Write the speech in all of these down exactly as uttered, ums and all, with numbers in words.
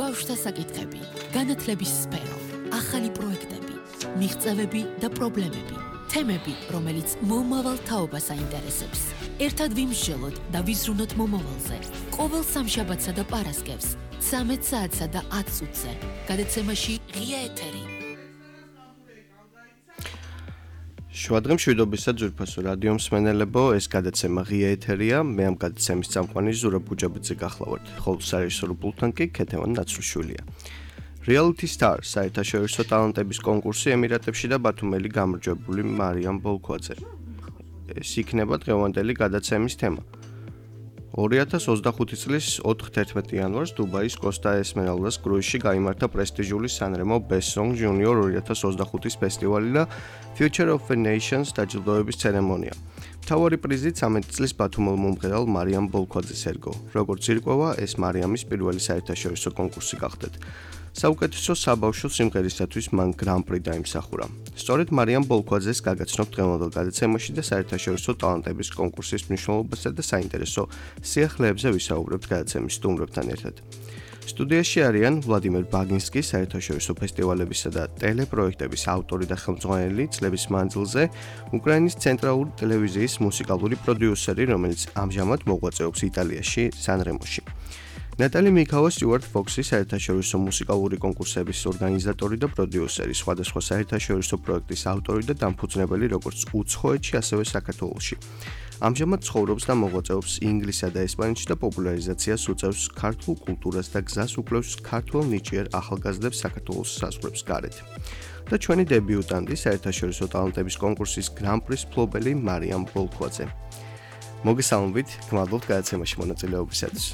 ბავშვთა საკითხები, განათლების სფერო, ახალი პროექტები, მიღწევები და პრობლემები, თემები, რომელიც მომავალ თაობას აინტერესებს. ერთად ვიმსჯელოთ და ვიზრუნოთ მომავალზე. ყოველ სამშაბათსა და პარასკევს, ცამეტ საათსა და ათ წუთზე. გადაცემაში ღია ეთერი. შუადღე მშვიდობისა ძვირფასო რადიო მსმენელებო, ეს გადაცემა ღია ეთერია. მე ამ გადაცემის წამყვანი ზურაბ ბუჯაბიძე გახლავართ, ხოლო საერთაშორისო პულტთან კი ქეთევან ნაცრუშვილია. Reality Star საერთაშორისო ტალანტების კონკურსი ემირატებში და ბათუმელი გამარჯვებული მარიამ ბოლქვაძე. ეს იქნება დღევანდელი გადაცემის თემა. ორი ათას ოცდახუთი წლის ოთხ-თერთმეტი იანვარს დუბაის კოსტა ესმერალდას კრუიზში გაიმართა პრესტიჟული სანრემო Best Song Junior ორი ათას ოცდახუთის ფესტივალი და Future of the Nations დაჯილდოების ცერემონია. მთავარი პრიზი ცამეტი წლის ბათუმელ მომღერალ მარიამ ბოლქვაძეს ერგო. როგორც ირკვევა, ეს მარიამის პირველი საერთაშორისო კონკურსი გახდათ. საუკეთესო საბავშვო სიმღერისათვის მან გრან-პრი დაიმსახურა. სწორედ მარიამ ბოლქვაძეს გაგაცნობთ დღევანდელ გადაცემაში და საერთაშორისო ტალანტების კონკურსის მნიშვნელობასა და საინტერესო სიახლეებზე ვისაუბრებთ გადაცემის სტუმრებთან ერთად. სტუდიაში არიან ვლადიმერ ბაგინსკი, საერთაშორისო ფესტივალებისა და ტელეპროექტების ავტორი და ხელმძღვანელი წლების მანძილზე, უკრაინის ცენტრალური ტელევიზიის მუსიკალური პროდიუსერი, რომელიც ამჟამად მოღვაწეობს იტალიაში, სანრემოში. ნატალი მიქავა სტიუარტ ფოქსი, საერთაშორისო მუსიკალური კონკურსების ორგანიზატორი და პროდიუსერი, სხვადასხვა საერთაშორისო პროექტის ავტორი და დამფუძნებელი როგორც უცხოეთში, ასევე საქართველოში. ამჟამად ცხოვრობს და მოღვაწეობს ინგლისსა და ესპანეთში და პოპულარიზაციას უწევს ქართულ კულტურას და გზას უკვლევს ქართულ ნიჭიერ ახალგაზრდებს საქართველოს საზღვრებს გარეთ. და ჩვენი დებიუტანტი, საერთაშორისო ტალანტების კონკურსის გრან-პრის მფლობელი მარიამ ბოლქვაძე. მოგესალმებით, გმადლობთ გადაცემაში მონაწილეობისათვის.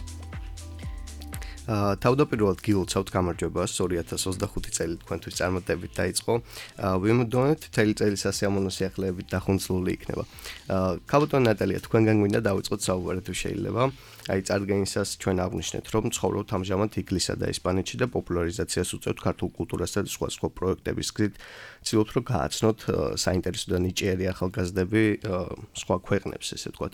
თავდაპირველად გილოცავთ გამარჯვებას ორი ათას ოცდახუთი წელი თქვენთვის წარმატებით დაიწყო. ვიმოდონეთ მთელი წელი სასიამოვნო სიახლეებით დახუნცლული იქნება. ქალბატონი ნატალია, თქვენგან გვინდა დავიწყოთ საუბარი თუ შეიძლება. აი წარდგენისას ჩვენ აღვნიშნეთ, რომ ცხოვრობთ ამჟამად ინგლისსა და ესპანეთში და პოპულარიზაციას უწევთ ქართულ კულტურასა და სხვა სხვა პროექტების გზით. ცდილობთ რომ გააცნოთ საინტერესო და ნიჭიერი ახალგაზრდები სხვა ქვეყნებს, ესე ვთქვათ.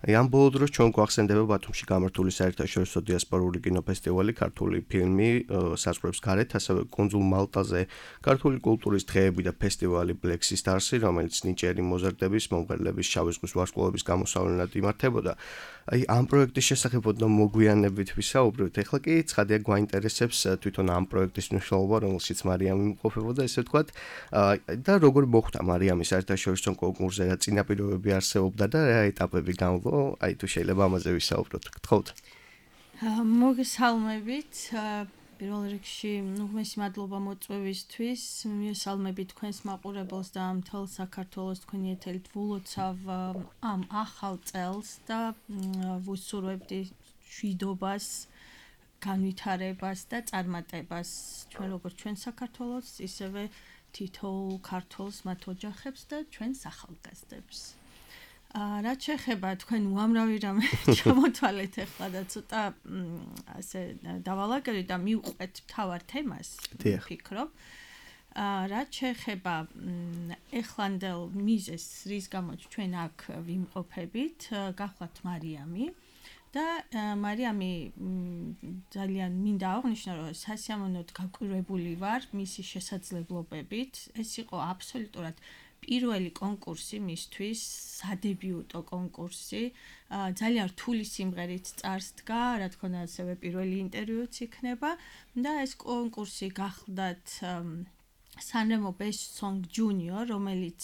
აი ამ ბოლო დროს ჩვენ გვახსენდება ბათუმში გამართული საერთაშორისო დიასპორული კინოფესტივალი, ქართული ფილმი საზღვრებს გარეთ, ასევე კუნძულ მალტაზე ქართული კულტურის დღეები და ფესტივალი Black Stars, რომელიც ნიჭიერი მოზარდების, მომღერლების, შავი ზღვის ვარსკვლავების გამოსავლენად იმართებოდა. აი ამ პროექტის შესახებ ოდნავ მოგვიანებით ვისაუბრებთ. ეხლა კი ცხადია გვაინტერესებს თვითონ ამ პროექტის მნიშვნელობა, რომელშიც მარიამი იმყოფებოდა, ესე ვთქვათ. და როგორ მოხდა მარიამის საერთაშორისო კონკურსზე, რა წინაპირობები არსებობდა და რა ეტაპები გამო, აი თუ შეიძლება ამაზე ვისაუბროთ. გთხოვთ. მოგესალმებით. პირველ რიგში, ნუ მის მადლობა მოწვევისთვის. მივესალმებით თქვენს მაყურებელს და მთელ საქართველოს თქვენი ეთერით ვილოცავ ამ ახალ წელს და ვუსურვებდი მშვიდობას, განვითარებას და წარმატებას ჩვენ როგორც ჩვენ საქართველოს, ისევე თითოეულ ქართველს, მათ ოჯახებს და ჩვენს ახალგაზრდებს. რაც შეეხება თქვენ უამრავი რამე ჩამოთვალეთ ახლა და ცოტა ასე დავალაგებთ და მივყვეთ მთავარ თემას, ვფიქრობ. რაც შეეხება ეხლანდელ მიზეზს, რის გამოც ჩვენ აქ ვიმყოფებით, გახლავთ მარიამი და მარიამი ძალიან მინდა აღვნიშნო, რომ სასიამოვნოდ გაკვირვებული ვარ მისი შესაძლებლობებით. ეს იყო აბსოლუტურად პირველი კონკურსი მისთვის, სადებიუტო კონკურსი, ძალიან რთული სიმღერით წარსდგა, რა თქმა უნდა, ასევე პირველი ინტერვიუც იქნება და ეს კონკურსი გახლდათ სანრემო Best Song Junior, რომელიც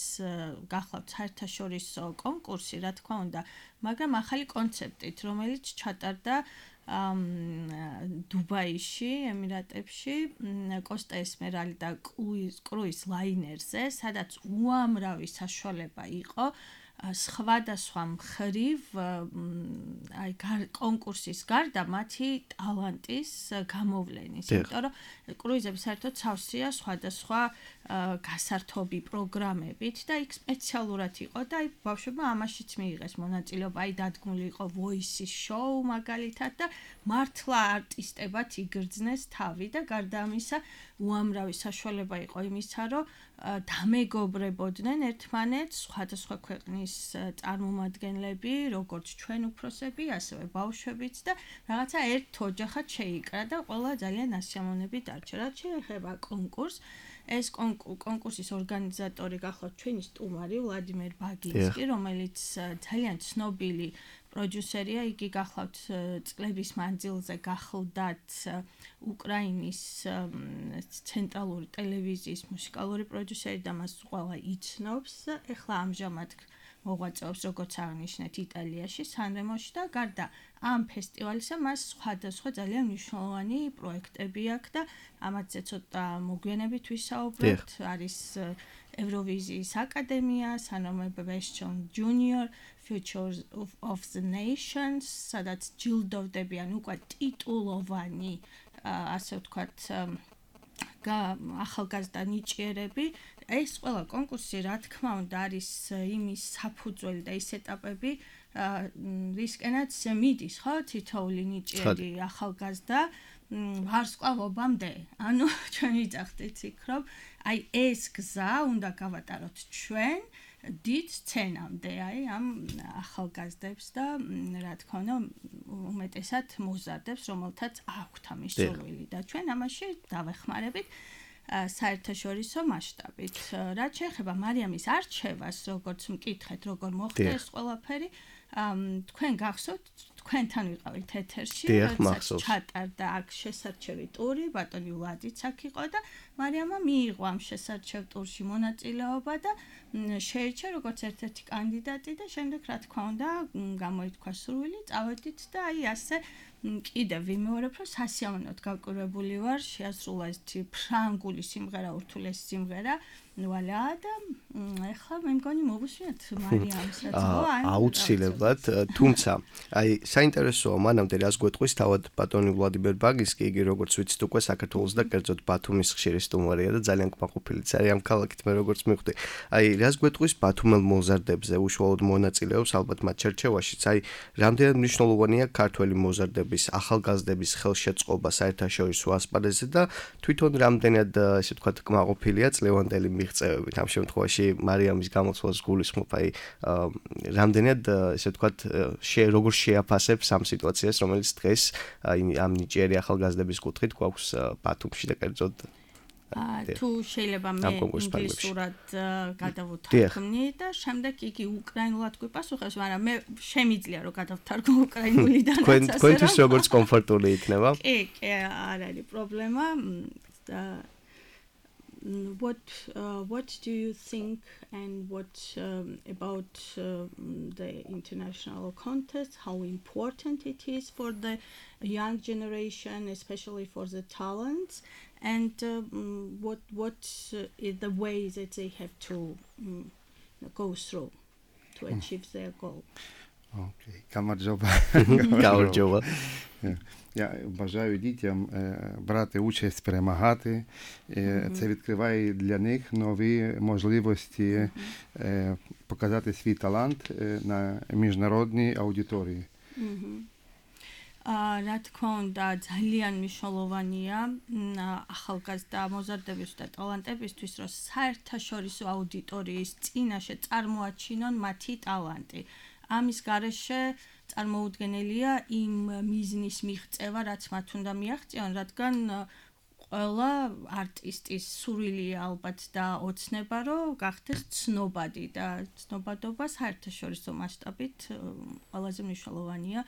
გახლავთ საერთაშორისო კონკურსი, რა თქმა უნდა, მაგრამ ახალი კონცეპტით, რომელიც ჩატარდა დუბაიში, ემირატებში, კოსტა ესმერალდა კრუიზ ლაინერზე, სადაც უამრავი საშუალება იყო სხვადასხვა მხრივ აი კონკურსის გარდა მათი ტალანტის გამოვლენის. იმიტომ რომ კრუიზები საერთოდ სავსეა სხვადასხვა გასართობი პროგრამებით და იქ სპეციალურად იყო და აი ბავშვებმა ამაშიც მიიღეს მონაწილეობა. აი დადგმული იყო Voice-ის შოუ მაგალითად და მართლა არტისტებად იგრძნეს თავი და გარდა ამისა უამრავი საშუალება იყო იმისა, რომ დამეგობრებოდნენ ერთმანეთს სხვადასხვა ქვეყნის წარმომადგენლები, როგორც ჩვენ უფროსები, ასევე ბავშვებიც და რაღაცა ერთ ოჯახად შეიკრა და ყველა ძალიან ასიამოვნებით დარჩა. რაც შეეხება კონკურსს, ეს კონკურსის ორგანიზატორი გახლავთ ჩვენი სტუმარი ვლადიმერ ბაგინსკი, რომელიც ძალიან ცნობილი პროდიუსერია, იგი გახლავთ წლების მანძილზე გახლდათ უკრაინის ცენტრალური ტელევიზიის მუსიკალური პროდიუსერი და მას ყველა იცნობს. ეხლა ამჟამად მოღვაწეობს როგორც აღნიშნეთ იტალიაში, სანრემოში და გარდა ამ ფესტივალისა მას სხვადასხვა ძალიან მნიშვნელოვანი პროექტები აქვს და ამათზე ცოტა მოგვიანებით ვისაუბრებთ. არის ევროვიზიის აკადემია, Sanremo Best Junior Futures of, of the Nations, სადაც ჯილდოვდებიან უკვე ტიტულოვანი, ასე ვთქვათ, ახალგაზრდა ნიჭიერები. ეს ყველა კონკურსი, რა თქმა უნდა, არის იმის საფუძველი და ის ეტაპები, რისკენაც მიდის, ხო, თითოეული ნიჭიერი ახალგაზრდა ვარსკვლავობამდე. ანუ ჩვენ ვიძახდით იქ, რომ აი ეს გზა უნდა გავატაროთ ჩვენ დიდ სცენამდე, აი ამ ახალგაზრდებს და რა თქმა უნდა, უმეტესად მოზარდებს, რომელთაც აქვთ ამის სურვილი და ჩვენ ამაში დავეხმარებით საერთაშორისო მასშტაბით. რაც შეეხება მარიამის არჩევას, როგორც მკითხეთ, როგორ მოხდა ეს ყველაფერი, თქვენ გახსოვთ, თქვენთან ვიყავით ეთერში, როდესაც ჩატარდა აქ შესარჩევი ტური, ბატონი ვლადიც აქ იყო და მარიამმა მიიღო ამ შესარჩევ ტურში მონაწილეობა და შეირჩა როგორც ერთ-ერთი კანდიდატი და შემდეგ რა თქმა უნდა გამოითქვა სურვილი, წავედით და აი ასე კიდევ ვიმეორებ, რომ სასიამოვნოდ გაკვირვებული ვარ, შეასრულა ეს ფრანგული სიმღერა, ურთულესი სიმღერა, ვალა და ეხლა მე მგონი მოვუსვიათ მარიამსაც, ხო? აუცილებლად, თუმცა აი საინტერესოა მანამდე რას გვეტყვის თავად ბატონი ვლადიმერ ბაგინსკი, იგი როგორც ვიცით უკვე საქართველოს და კერძოდ ბათუმის ხშირი სტუმარია და ძალიან კმაყოფილიც არის ამ ქალაქით მე როგორც მივხვდი. აი რას გვეტყვის ბათუმელ მოზარდებზე უშუალოდ მონაწილეობს ალბათ მათ ჩერჩევაშიც, აი რამდენად მნიშვნელოვანია ქართველი მოზარდების, ახალგაზრდების ხელშეწყობა საერთაშორისო ასპარეზზე და თვითონ რამდენად ესე ვთქვათ კმაყოფილია წლევანდელი მიღწევებით. ამ შემთხვევაში მარიამის გამოცვალს გულისხმობ, აი რამდენად ესე ვთქვათ როგორ შეაფასებს ამ სიტუაციას, რომელიც დღეს ამ ნიჭიერი ახალგაზრდების კუთხით გვაქვს ბათუმში და კერძოდ თუ შეიძლება მე ინგლისურად გადავუთარგმნი და შემდეგ იგი უკრაინულად გვიპასუხებს, მაგრამ მე შემიძლია რომ გადავთარგმნო უკრაინულიდან. თქვენთვის როგორც კომფორტული იქნება? კი, კი, არ არის პრობლემა. What uh, what do you think and what um, about uh, the international contest, how important it is for the young generation, especially for the talents, and um, what what uh, is the way that they have to um, go through to achieve their goal? Okay, камаджоба. Камаджоба. Я бажаю дітям брати участь, перемагати. Це відкриває для них нові можливості показати свій талант на міжнародній аудиторії. რა თქმა უნდა, ძალიან მნიშვნელოვანია ახალგაზრდა მოზარდების და ტალანტებისთვის, რომ საერთაშორისო აუდიტორიის წინაშე წარმოაჩინონ მათი ტალანტი. ამის გარეშე წარმოუდგენელია იმ მიზნის მიღწევა, რაც მათ უნდა მიაღწიონ, რადგან ყველა არტისტის სურვილია ალბათ და ოცნება, რომ გახდეს ცნობადი და ცნობადობა საერთაშორისო მასშტაბით ყველაზე მნიშვნელოვანია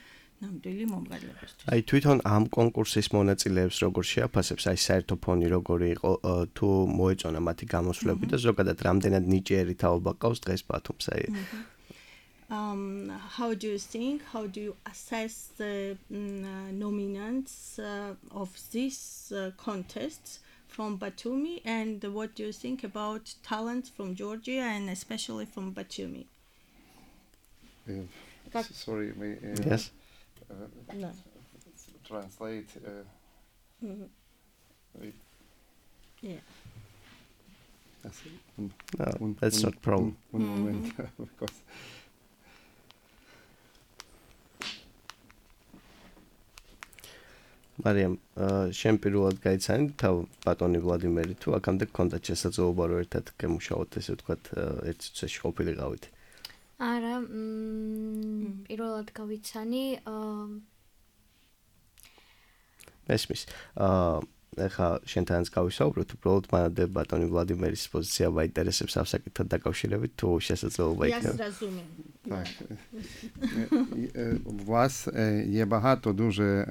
ნამდვილი მომღერლებისთვის. აი თვითონ ამ კონკურსის მონაწილეებს როგორ შეაფასებს, აი საერთო ფონი როგორი იყო, თუ მოეწონა მათი გამოსვლები და ზოგადად რამდენად ნიჭიერი თაობა ყავს დღეს ბათუმს, აი Um, how do you think, how do you assess the uh, nominants uh, of this uh, contest from Batumi, and what do you think about talents from Georgia and especially from Batumi? Uh, sorry, may, uh, yes. Uh, no. Translate. Uh, mm-hmm. Wait. Yeah. That's, un, no, un, that's un, not a problem. One mm-hmm. moment, because. მარიამ, შენ პირველად გაიცანი თავ ბატონი ვლადიმერი თუ აქამდე გქონდათ შესაძლებლობა რომ ერთად გემუშაოთ, ესე ვთქვათ, ერთ წუთში ყოფილიყავით? არა, პირველად გავიცანი. მესმის. აა ეხლა შენთანაც გავისაუბროთ, უბრალოდ მანამდე ბატონი ვლადიმერის პოზიცია მაინტერესებს ამ საკითხთან დაკავშირებით, თუ შესაძლებლობა იქნება. Я зрозумів. Так. У вас є багато дуже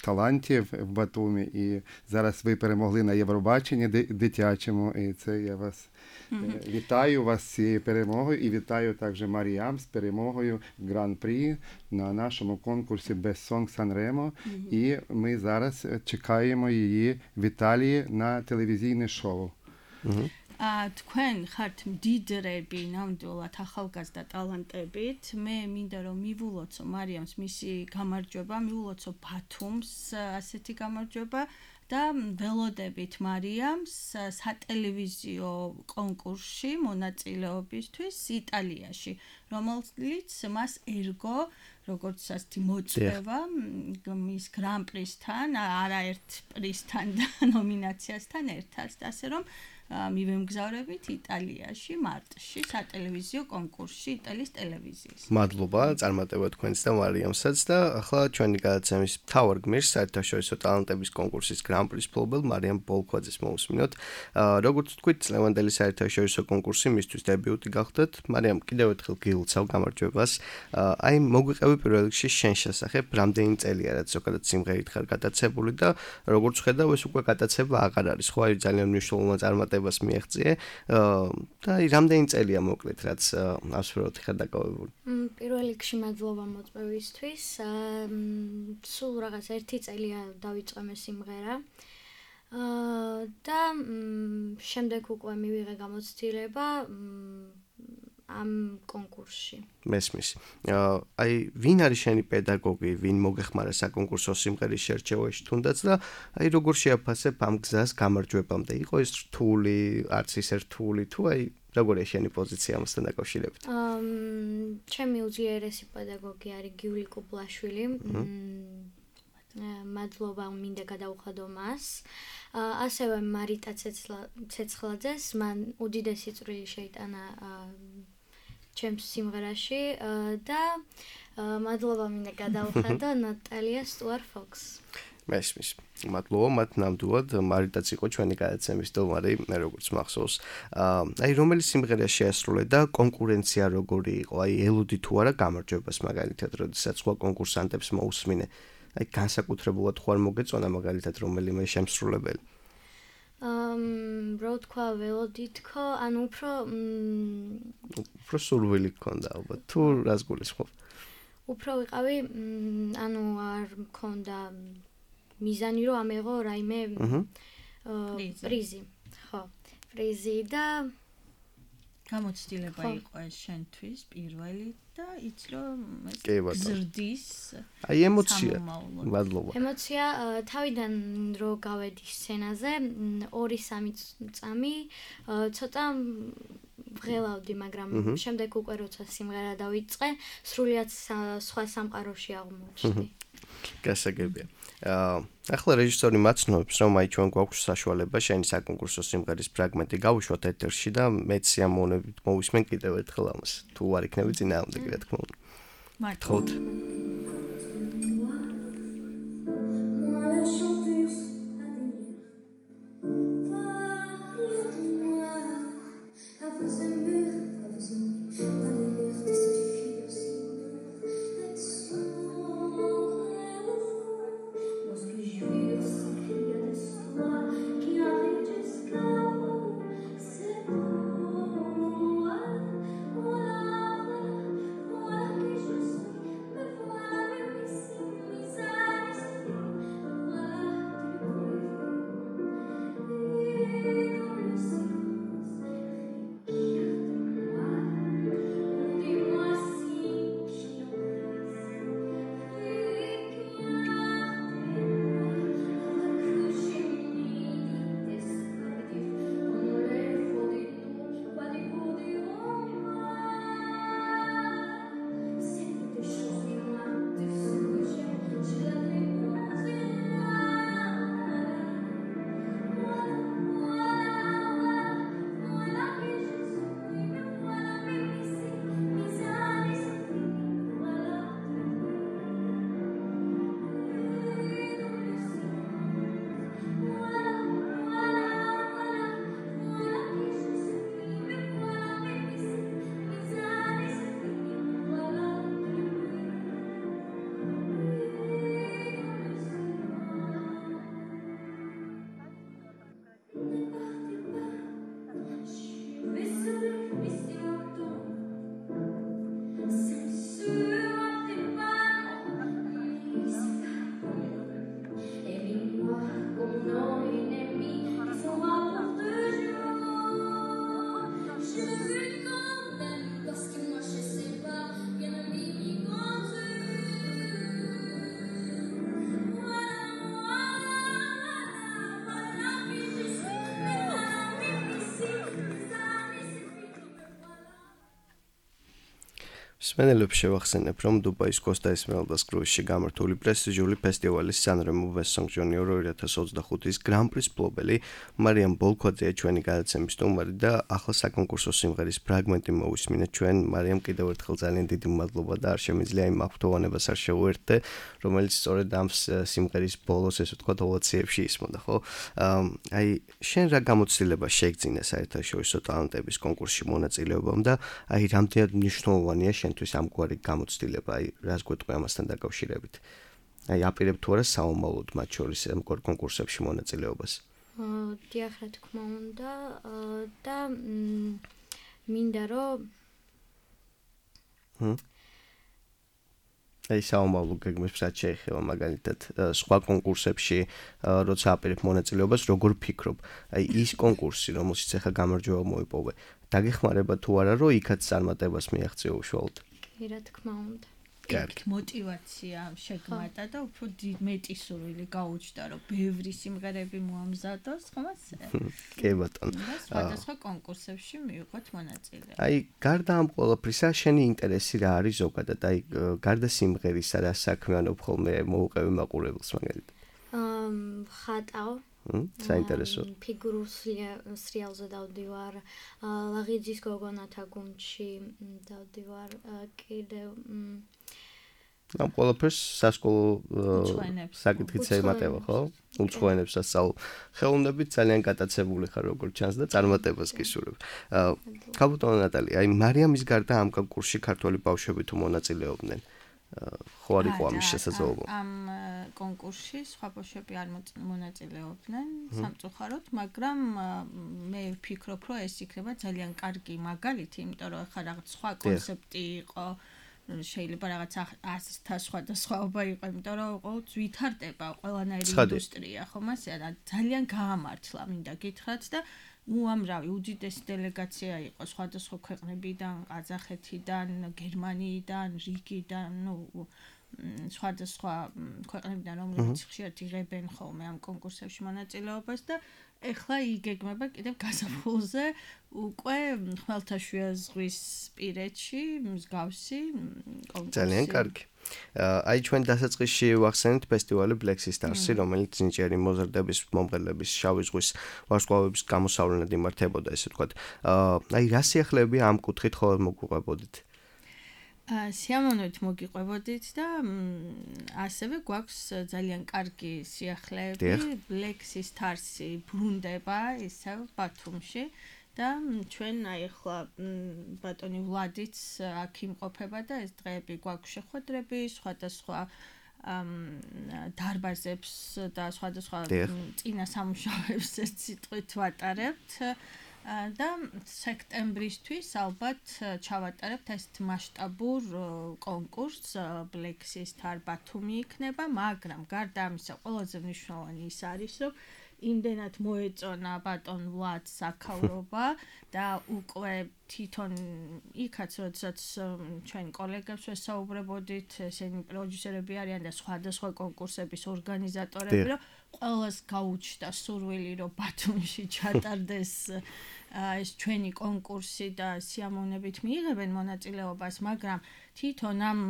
талантів в Батумі, і зараз ви перемогли на Євробаченні дитячому, і це я вас вітаю вас з цією перемогою, і вітаю також Маріам з перемогою в Гран-прі на нашому конкурсі Best Song Sanremo, і ми зараз чекаємо її в Італії на телевізійне шоу. ა თქვენ ხართ მდიდრები ნამდვილად ახალგაზრდა ტალანტებით. მე მინდა რომ მივულოცო მარიამს მისი გამარჯვება, მივულოცო ბათუმს ასეთი გამარჯვება და ველოდებით მარიამს სატელევიზიო კონკურსში მონაწილეობისთვის იტალიაში, რომელიც მას ერგო როგორც ასეთი მოწვევა მის გრან-პრისთან, არაერთ პრისთან და ნომინაციასთან ერთად, ასე რომ მივემგზავრებით იტალიაში მარტში სატელევიზიო კონკურსში იტალიის ტელევიზიის. მადლობა წარმატება თქვენს და მარიამსაც და ახლა ჩვენი გადაცემის მთავარ გმირს საერთაშორისო ტალანტების კონკურსის გრან-პრის მფლობელ მარიამ ბოლქვაძეს მოვუსმინოთ. როგორც თქვით, ლევანდელი საერთაშორისო კონკურსი მისთვის დებიუტი გახდათ. მარიამ, კიდევ ერთხელ გილოცავ გამარჯვებას. აი მოგვიყევი პირველ რიგში შენ შესახებ, რამდენი წელია რაც ზოგადად სიმღერით ხარ გატაცებული და როგორც ხედავ ეს უკვე გატაცება აღარ არის, ხო? აი ძალიან მნიშვნელოვანი წარმატება მას მიაღწიე და აი რამდენი წელია მოკლედ რაც ასფეროთ ხარ დაკავებული? პირველ რიგში მადლობა მოწვევისთვის. სულ რაღაც ერთი წელია დავიწყე მე სიმღერა. და შემდეგ უკვე მივიღე გამოცდილება ამ კონკურსში. მესმის. აი ვინ არის შენი პედაგოგი, ვინ მოგეხმარა საკონკურსო სიმღერის შერჩევაში თუნდაც და აი როგორ შეაფასებ ამ გზას გამარჯვებამდე? იყო ეს რთული, არც ისე რთული თუ აი როგორია შენი პოზიცია ამასთან დაკავშირებით? აა ჩემი უძლიერესი პედაგოგი არის გიული კუბლაშვილი. მადლობა მინდა გადავხადო მას. ასევე მარიტა ცეცხლაძეს, მან უდიდესი წვლილი შეიტანა ჩემს სიმღერაში და მადლობა მინდა გადავხადო ნატალია სტუარ-ფოქს. მესმის. მადლობა მათ ნამდვილად მარიტაც იყო ჩვენი გადაცემის დომარი, მე როგორც მახსოვს. აი რომელი სიმღერა შეასრულე და კონკურენცია როგორი იყო? აი ელოდი თუ არა გამარჯვებას მაგალითად, როდესაც სხვა კონკურსანტებს მოусმინე. აი განსაკუთრებულად ხوار მოგეწონა მაგალითად რომელიმე შემსრულებელი? Um, რო თქვა ველოდი თქო, ანუ უფრო უფრო სურვილი გქონდა ალბათ. თუ რას გულისხმობ? უფრო ვიყავი, ანუ არ მქონდა მიზანი რომ ამეღო რაიმე პრიზი. ხო, პრიზი და გამოცდილება იყო ეს შენთვის პირველი და იცი რომ ეს კი ბატონო. გზრდის აი ემოცია. მადლობა. ემოცია თავიდან რო გავედი სცენაზე ორი სამი წამი ცოტა ვღელავდი, მაგრამ შემდეგ უკვე როცა სიმღერა დავიწყე, სრულიად სხვა სამყაროში აღმოჩნდი. გასაგებია. ახლა რეჟისორი მაცნობს, რომ აი ჩვენ გვაქვს საშუალება შენი საკონკურსო სიმღერის ფრაგმენტი გავუშვათ ეთერში და მეც სიამოვნებით მოვისმენ კიდევ ერთხელ ამას. თუ არ იქნები წინააღმდეგი, რა თქმა უნდა. მართლაც. მსმენელებს შევახსენებ, რომ დუბაის კოსტა ესმერალდას კრუიზში გამართული პრესტიჟული ფესტივალის სანრემო West Song Junior ორი ათას ოცდახუთის გრან-პრის მფლობელი მარიამ ბოლქვაძეა ჩვენი გადაცემის სტუმარი და ახლა საკონკურსო სიმღერის ფრაგმენტი მოვისმინეთ ჩვენ. მარიამ, კიდევ ერთხელ ძალიან დიდი მადლობა და არ შემიძლია იმ აღფრთოვანებას არ შევუერთდე, რომელიც სწორედ ამ სიმღერის ბოლოს, ესე ვთქვათ, ოვაციებში ისმოდა, ხო? აი, შენ რა გამოცდილება შეიგძინე საერთაშორისო ტალანტების კონკურსში მონაწილეობამ და აი რამდენად მნიშვნელოვანია შენთვის ამგვარი გამოცდილება, აი რას გვეტყვი ამასთან დაკავშირებით? აი აპირებ თუ არა საომავლოდ მათ შორის ამგვარ კონკურსებში მონაწილეობას? აა, დიახ, რა თქმა უნდა, და მინდა რომ ჰმ აი საომავლო გეგმებს რაც შეეხება მაგალითად სხვა კონკურსებში, როცა აპირებ მონაწილეობას, როგორ ფიქრობ? აი ის კონკურსი, რომელშიც ახლა გამარჯვება მოიპოვე, დაგეხმარება თუ არა, რომ იქაც წარმატებას მიაღწიო უშუალოდ? კი, რა თქმა უნდა. კარგი მოტივაცია შეგმატა და უფრო მეტი სურვილი გაუჩნდა, რომ ბევრი სიმღერები მოამზადოს, ხომ ასე? კი ბატონო. სხვადასხვა კონკურსებში მივიღოთ მონაწილეობა. აი, გარდა ამ ყველაფრისა, შენი ინტერესი რა არის ზოგადად? აი, გარდა სიმღერისა, რა საქმიანობ ხოლმე მოუყევი მაყურებელს მაგალითად? აა, ხატავ. საინტერესო. ფიგურულ სრიალზე დავდივარ, ლაღიძის გოგონათა გუნდში დავდივარ, კიდევ ამ ყველაფერს სასკოლო საკითხიც ემატება, ხო? უცხოენებს ასწავლ. ხელოვნებით ძალიან გატაცებული ხარ როგორც ჩანს და წარმატებას გისურვებ. ქალბატონო ნატალი, აი მარიამის გარდა ამ კონკურსში ქართველი ბავშვები თუ მონაწილეობდნენ? ხო არ იყო ამის შესაძლებლობა? ამ კონკურსში სხვა ბავშვები არ მონაწილეობდნენ სამწუხაროდ, მაგრამ მე ვფიქრობ, რომ ეს იქნება ძალიან კარგი მაგალითი, იმიტომ რომ ახლა რაღაც სხვა კონცეფტი იყო, შეიძლება რაღაც ასთა სხვადასხვაობა იყო, იმიტომ რომ ყოველთვის ვითარდება ყველანაირი ინდუსტრია, ხომ ასე? ძალიან გაამართლა, მინდა გითხრათ და უამრავი უდიდესი დელეგაცია იყო სხვადასხვა ქვეყნებიდან, ყაზახეთიდან, გერმანიიდან, რიგიდან, ნუ სხვადასხვა ქვეყნებიდან, რომლებიც ხშირად იღებენ ხოლმე ამ კონკურსებში მონაწილეობას და ეხლა იგეგმება კიდევ გაზაფხულზე უკვე ხმელთაშუა ზღვის პირეთში მსგავსი კონკურსი. ძალიან კარგი. აი ჩვენ დასაწყისში ვახსენეთ ფესტივალი Black Stars-ი, რომელიც ნიჭიერი მოზრდების, მომღერლების, შავი ზღვის ვარსკვლავების გამოსავლენად იმართებოდა, ესე ვთქვათ. აი რა სიახლეები ამ კუთხით ხოლმე მოგვიყვებოდით? სიამოვნებით მოგიყვებოდით და ასევე გვაქვს ძალიან კარგი სიახლეები. Black Stars-ი ბრუნდება ისევ ბათუმში და ჩვენ აი ახლა ბატონი ვლადიც აქ იმყოფება და ეს დღეები გვაქვს შეხვედრები, სხვადასხვა დარბაზებს და სხვადასხვა წინა სამუშაოებს ეს სიტყვით ვატარებთ. და სექტემბრისთვის ალბათ ჩავატარებთ ესეთ მასშტაბურ კონკურსს Black Star ბათუმი იქნება, მაგრამ გარდა ამისა ყველაზე მნიშვნელოვანი ის არის, რომ იმდენად მოეწონა ბატონ ვლადს აქაურობა და უკვე თვითონ იქაც როდესაც ჩვენ კოლეგებს ვესაუბრებოდით, ესენი პროდიუსერები არიან და სხვადასხვა კონკურსების ორგანიზატორები, რომ ყველას გაუჩნდა სურვილი, რომ ბათუმში ჩატარდეს ეს ჩვენი კონკურსი და სიამოვნებით მიიღებენ მონაწილეობას, მაგრამ თვითონ ამ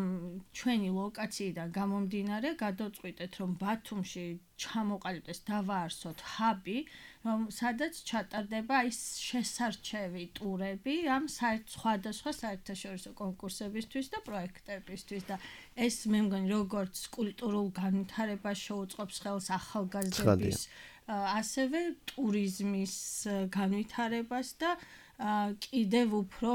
ჩვენი ლოკაციიდან გამომდინარე გადავწყვიტეთ, რომ ბათუმში ჩამოყალიბდეს, დავაარსოთ ჰაბი, რომ სადაც ჩატარდება ის შესარჩევი ტურები ამ სხვადასხვა საერთაშორისო კონკურსებისთვის და პროექტებისთვის და ეს მე მგონი როგორც კულტურულ განვითარებას შეუწყობს ხელს ახალგაზრდების ასევე ტურიზმის განვითარებას და კიდევ უფრო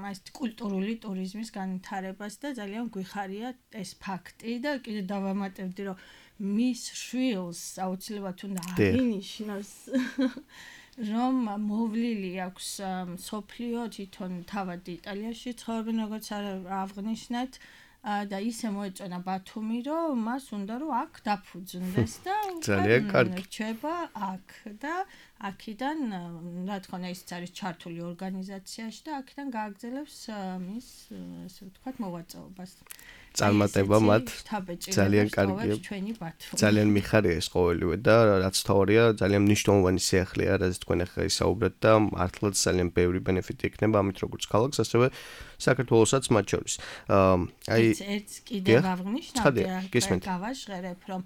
ეს კულტურული ტურიზმის განვითარებას და ძალიან გვიხარია ეს ფაქტი და კიდევ დავამატებდი, რომ მის შვილს აუცილებლად უნდა აღინიშნოს, რომ მოვლილი აქვს მსოფლიო თვითონ თავად იტალიაში ცხოვრობენ, როგორც აღნიშნეთ და ისე მოეწონა ბათუმი, რომ მას უნდა რომ აქ დაფუძნდეს და ძალიან კარგი რჩება აქ და აქედან რა თქმა უნდა ისიც არის ჩართული ორგანიზაციაში და აქედან გააგრძელებს მის ასე ვთქვათ მოვაწეობას. წარმატება მათ ძალიან კარგია. ჩვენი ბათუმი. ძალიან მიხარია ეს ყოველივე და რაც თავია ძალიან მნიშვნელოვანი სიახლეა, რაც თქვენ ახლა ისაუბრეთ და მართლაც ძალიან ბევრი ბენეფიტი იქნება ამით როგორც ქალაქს, ასევე საქართველოსაც მათ შორის. აი ერთ კიდევ აღნიშნავ და გისმენთ. გავაჟღერებ რომ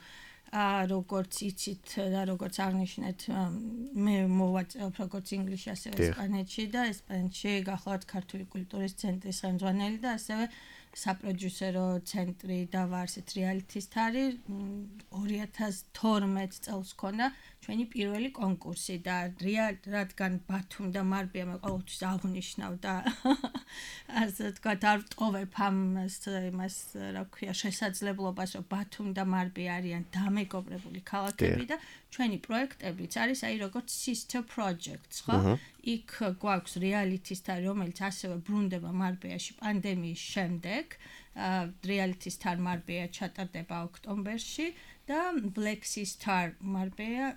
როგორც იცით და როგორც აღნიშნეთ მე მოვაწევ როგორც ინგლისში ასევე ესპანეთში და ესპანეთში გახლავთ ქართული კულტურის ცენტრის ხელმძღვანელი და ასევე საპროდიუსერო ცენტრი და ვარ ასეთ რეალიტის თარი ორი ათას თორმეტ წელს ქონა ჩვენი პირველი კონკურსი და რადგან ბათუმი და მარბია მე ყოველთვის აღნიშნავ და ასე ვთქვათ არ ვტოვებ ამ იმას რა ქვია შესაძლებლობას რომ ბათუმი და მარბი არიან დამეგობრებული ქალაქები და ჩვენი პროექტებიც არის აი როგორც sister projects ხო იქ გვაქვს რეალიტის თარი რომელიც ასევე ბრუნდება მარბიაში პანდემიის შემდეგ რეალიტის თარ მარბია ჩატარდება ოქტომბერში და Black Sea Star მარბია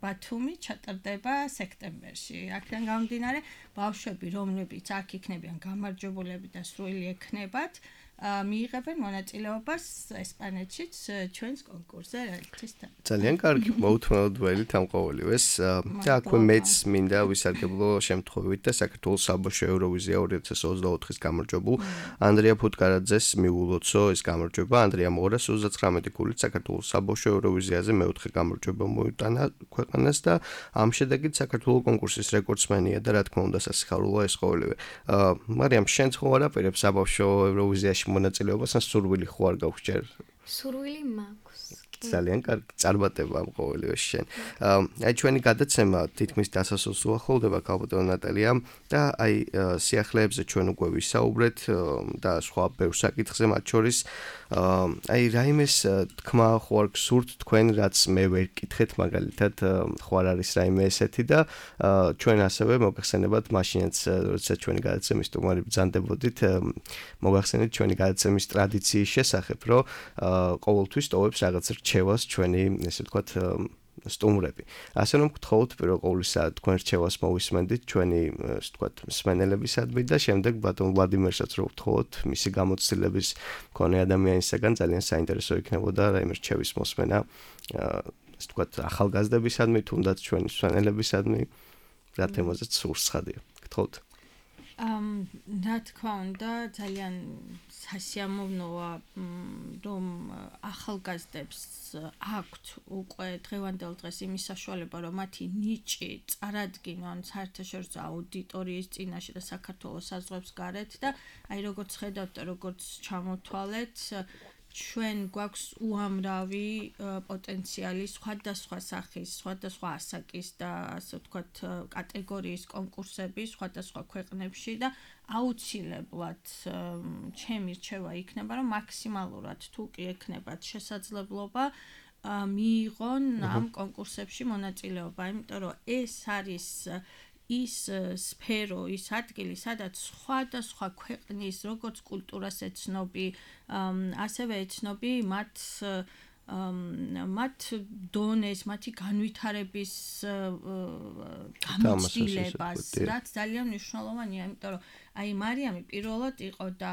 ბათუმი ჩატარდება სექტემბერში. აქედან გამომდინარე, ბავშვები, რომლებიც აქ იქნებიან გამარჯვებულები და სრული ექნებათ, მიიღებენ მონაწილეობას ესპანეთშიც ჩვენს კონკურსზე რეალიტის თარ. ძალიან კარგი, მოუთმენლად ველით ამ ყოველივეს. და აქვე მეც მინდა ვისარგებლო შემთხვევით და საქართველოს საბავშვო ევროვიზია ორი ათას ოცდაოთხის გამარჯვებულ ანდრია ფუტკარაძეს მიულოცო ეს გამარჯვება. ანდრიამ ორას ოცდაცხრამეტი ქულით საქართველოს საბავშვო ევროვიზიაზე მეოთხე გამარჯვება მოუტანა ქვეყანას და ამ შედეგით საქართველოს კონკურსის რეკორდსმენია და რა თქმა უნდა სასიხარულოა ეს ყოველივე. მარიამ, შენ ხო არ აპირებ საბავშვო ევროვიზიაში მონაწილეობას ან სურვილი ხო არ გაქვს ჯერ? სურვილი მაქვს. ძალიან კარგი წარმატება ამ ყოველივე შენ. აი ჩვენი გადაცემა თითქმის დასასრულს უახლოვდება ქალბატონო ნატალია და აი სიახლეებზე ჩვენ უკვე ვისაუბრეთ და სხვა ბევრ საკითხზე მათ შორის აი რაიმეს თქმა ხო არ გსურთ თქვენ რაც მე ვერ გკითხეთ მაგალითად ხო არ არის რაიმე ესეთი და ჩვენ ასევე მოგახსენებათ მაშინაც როდესაც ჩვენი გადაცემის სტუმარი ბრძანდებოდით მოგახსენეთ ჩვენი გადაცემის ტრადიციის შესახებ რომ ყოველთვის ტოვებს რაღაც რჩევას ჩვენი ესე ვთქვათ სტუმრები. ასე რომ გთხოვთ პირველ ყოვლისა თქვენ რჩევას მოვისმენდით ჩვენი ესე ვთქვათ მსმენელებისადმი და შემდეგ ბატონ ვლადიმერსაც რო გთხოვთ მისი გამოცდილების მქონე ადამიანისაგან ძალიან საინტერესო იქნებოდა რაიმე რჩევის მოსმენა ესე ვთქვათ ახალგაზრდებისადმი თუნდაც ჩვენი მსმენელებისადმი რა თემაზეც სურს ხადია. გთხოვთ. ამ რა თქმა უნდა ძალიან სასიამოვნოა რომ ახალგაზრდებს აქვთ უკვე დღევანდელ დღეს იმის საშუალება რომ მათი ნიჭი წარადგინონ საერთაშორისო აუდიტორიის წინაშე და საქართველოს საზღვრებს გარეთ და აი როგორც ხედავთ და როგორც ჩამოთვალეთ ჩვენ გვაქვს უამრავი პოტენციალი სხვადასხვა სახის, სხვადასხვა ასაკის და ასე ვთქვათ კატეგორიის კონკურსები სხვადასხვა ქვეყნებში და აუცილებლად ჩემი რჩევა იქნება რომ მაქსიმალურად თუ კი ექნებათ შესაძლებლობა მიიღონ ამ კონკურსებში მონაწილეობა, იმიტომ რომ ეს არის ის სფერო, ის ადგილი, სადაც სხვადასხვა ქვეყნის როგორც კულტურას ეცნობი, ასევე ეცნობი მათ მათ დონეს, მათი განვითარების გამოცდილებას, რაც ძალიან მნიშვნელოვანია, იმიტომ რომ აი მარიამი პირველად იყო და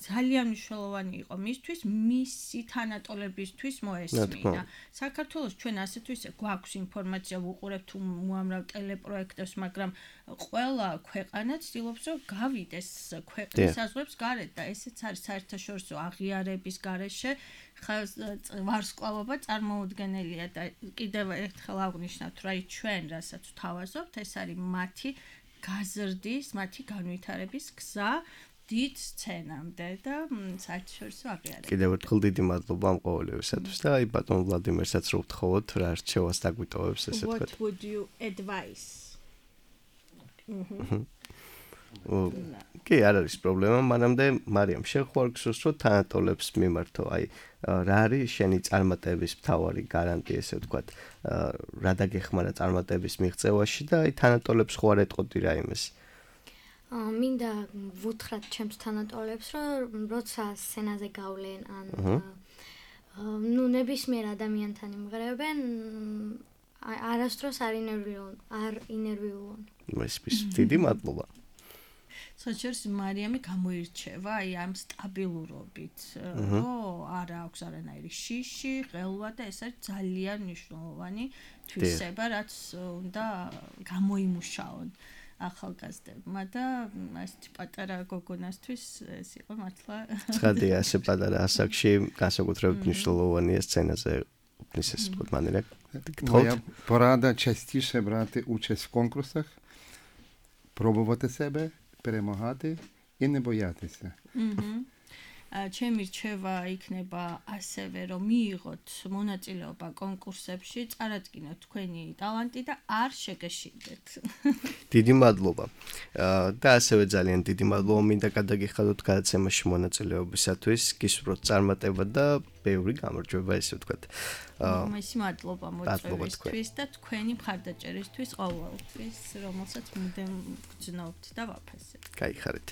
ძალიან მნიშვნელოვანი იყო მისთვის, მისი თანატოლებისთვის მოესმინა. საქართველოს ჩვენ ასეთ ისე გვაქვს ინფორმაცია, ვუყურებთ უამრავ ტელეპროექტებს, მაგრამ ყველა ქვეყანა ცდილობს რომ გავიდეს ქვეყნის საზღვრებს გარეთ და ესეც არის საერთაშორისო აღიარების გარეშე ვარსკვლავობა წარმოუდგენელია და კიდევ ერთხელ აღვნიშნავთ რა ჩვენ რასაც ვთავაზობთ ეს არის მათი გაზრდის, მათი განვითარების გზა დიდ სცენამდე და საერთაშორისო აღიარება. კიდევ ერთხელ დიდი მადლობა ამ ყოველივესათვის და აი ბატონ ვლადიმერსაც რო ვთხოვოთ რა რჩევას დაგვიტოვებს ესე ვთქვათ. What would you advise? კი, არ არის პრობლემა, მანამდე მარიამ შენ ხო არ გსურს რომ თანატოლებს მიმართო, აი რა არის შენი წარმატების მთავარი გარანტია ესე ვთქვათ, რა დაგეხმარა წარმატების მიღწევაში და აი თანატოლებს ხო არ ეტყოდი რაიმეს? მინდა ვუთხრათ ჩემს თანატოლებს, რომ როცა სცენაზე გავლენ ან ნუ ნებისმიერ ადამიანთან იმღერებენ, არასდროს არ ინერვიულონ, არ ინერვიულონ. ეს ის დიდი მადლობა. საჭირს მარიამი გამოირჩევა აი ამ სტაბილურობით, რომ არ აქვს არანაირი შიში, ყელვა და ეს არის ძალიან მნიშვნელოვანი თვისება, რაც უნდა გამოიმუშაონ ახალგაზრდებმა და ასეთი პატარა გოგონასთვის ეს იყო მართლა ცხადია, ასე патара ასაკში განსაკუთრებით მნიშვნელოვანია სცენაზე упнись вот манера. Моя порада частіше брати участь в конкурсах, пробувати себе, перемагати і не боятися. ჩემი რჩევა იქნება ასევე რომ მიიღოთ მონაწილეობა კონკურსებში, წარადგინოთ თქვენი ტალანტი და არ შეგეშინდეთ. დიდი მადლობა. და ასევე ძალიან დიდი მადლობა მინდა გადაგიხადოთ გადაცემაში მონაწილეობისათვის, გისურვოთ წარმატება და ბევრი გამარჯვება, ესე ვთქვათ. მესი მადლობა მოწვევისთვის და თქვენი მხარდაჭერისთვის ყოველთვის, რომელსაც მუდამ გძნობთ და ვაფასებთ. გაიხარეთ.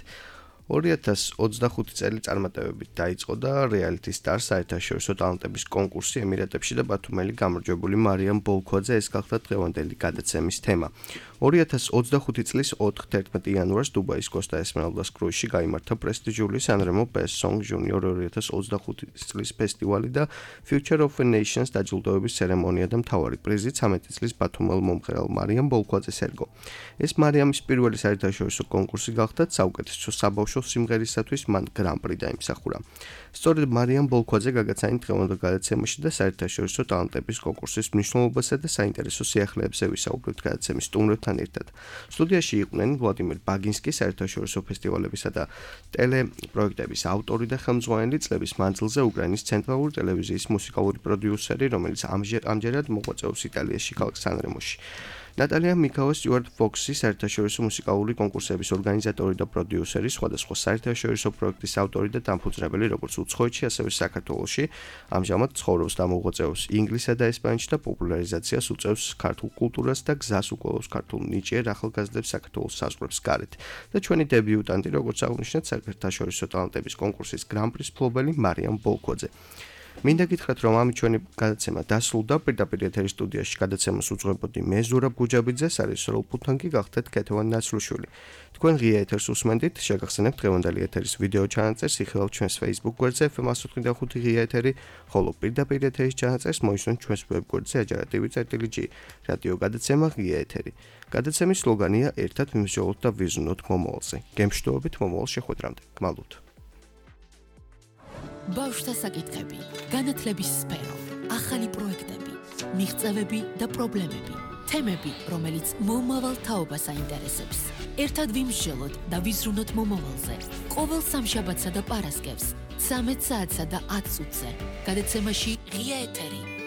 ორი ათას ოცდახუთი წელი წარმატებებით დაიწყო და Reality Stars საერთაშორისო ტალანტების კონკურსი ემირატებში და ბათუმელი გამარჯვებული მარიამ ბოლქვაძე ეს გახდა დღევანდელი გადაცემის თემა. ორი ათას ოცდახუთი წლის ოთხ-თერთმეტი იანვარს დუბაის Costa Esmeraldas კრუიზში გაიმართა პრესტიჟული Sanremo Best Song Junior ორი ათას ოცდახუთი წლის ფესტივალი და Future of the Nations დაჯილდოების ცერემონია და მთავარი პრიზი ცამეტი წლის ბათუმელ მომღერალ მარიამ ბოლქვაძეს ერგო. ეს მარიამის პირველი საერთაშორისო კონკურსი გახდა საუკეთესო საბავშვო სიმღერისათვის მან გრან-პრი დაიმსახურა. სწორედ მარიამ ბოლქვაძე გაგაცანით დღევანდელ გადაცემაში და საერთაშორისო ტალანტების კონკურსის მნიშვნელობასა და საინტერესო სიახლეებზე ვისაუბრებთ გადაცემის სტუმრებთან ერთად. სტუდიაში იყვნენ ვლადიმერ ბაგინსკი, საერთაშორისო ფესტივალებისა და ტელეპროექტების ავტორი და ხელმძღვანელი, წლების მანძილზე უკრაინის ცენტრალური ტელევიზიის მუსიკალური პროდიუსერი, რომელიც ამჯერად მოღვაწეობს იტალიაში ქალაქ სანრემოში. ნატალია მიქავა სტიუარტ ფოქსი, საერთაშორისო მუსიკალური კონკურსების ორგანიზატორი და პროდიუსერი, სხვადასხვა საერთაშორისო პროექტის ავტორი და დამფუძნებელი, როგორც უცხოეთში, ასევე საქართველოში. ამჟამად ცხოვრობს და მოღვაწეობს ინგლისსა და ესპანეთში და პოპულარიზაციას უწევს ქართულ კულტურას და გზას უკოლავს ქართულ ნიჭიერ ახალგაზრდებს საქართველოს საზღვრებს გარეთ. და ჩვენი დებიუტანტი, როგორც აღნიშნეთ, საერთაშორისო ტალანტების კონკურსის გრან-პრის მფლობელი მარიამ ბოლქვაძე. მინდა გითხრათ, რომ ამით ჩვენი გადაცემა დასრულდა. პირდაპირ ეთერის სტუდიაში გადაცემას უძღვებოდი მე ზურაბ გუჯაბიძე, სარესორო ფუთანკი გახდეთ ქეთევან ნაცრუშვილი. თქვენ ღია ეთერს უსმენდით, შეგახსენებთ დღევანდელი ეთერის ვიდეო ჩანაწერს, იხილავთ ჩვენს Facebook გვერდზე ეფ ემ ათს ოცდაოთხი ღია ეთერი, ხოლო პირდაპირ ეთერის ჩანაწერს მოისმენთ ჩვენს ვებ გვერდზე ajarativi.gi. რადიო გადაცემა ღია ეთერი. გადაცემის სლოგანია ერთად ვიმსჯელოთ და ვიზრუნოთ მომავალზე. გემშვიდობით მომავალ შეხვედრამდე. გმალოთ. ბავშვთა საკითხები, განათლების სფერო, ახალი პროექტები, მიღწევები და პრობლემები, თემები, რომელიც მომავალ თაობას აინტერესებს. ერთად ვიმსჯელოთ და ვიზრუნოთ მომავალზე. ყოველ სამშაბათსა და პარასკევს, ცამეტ საათსა და ათ წუთზე. გადაცემაში ღია ეთერი.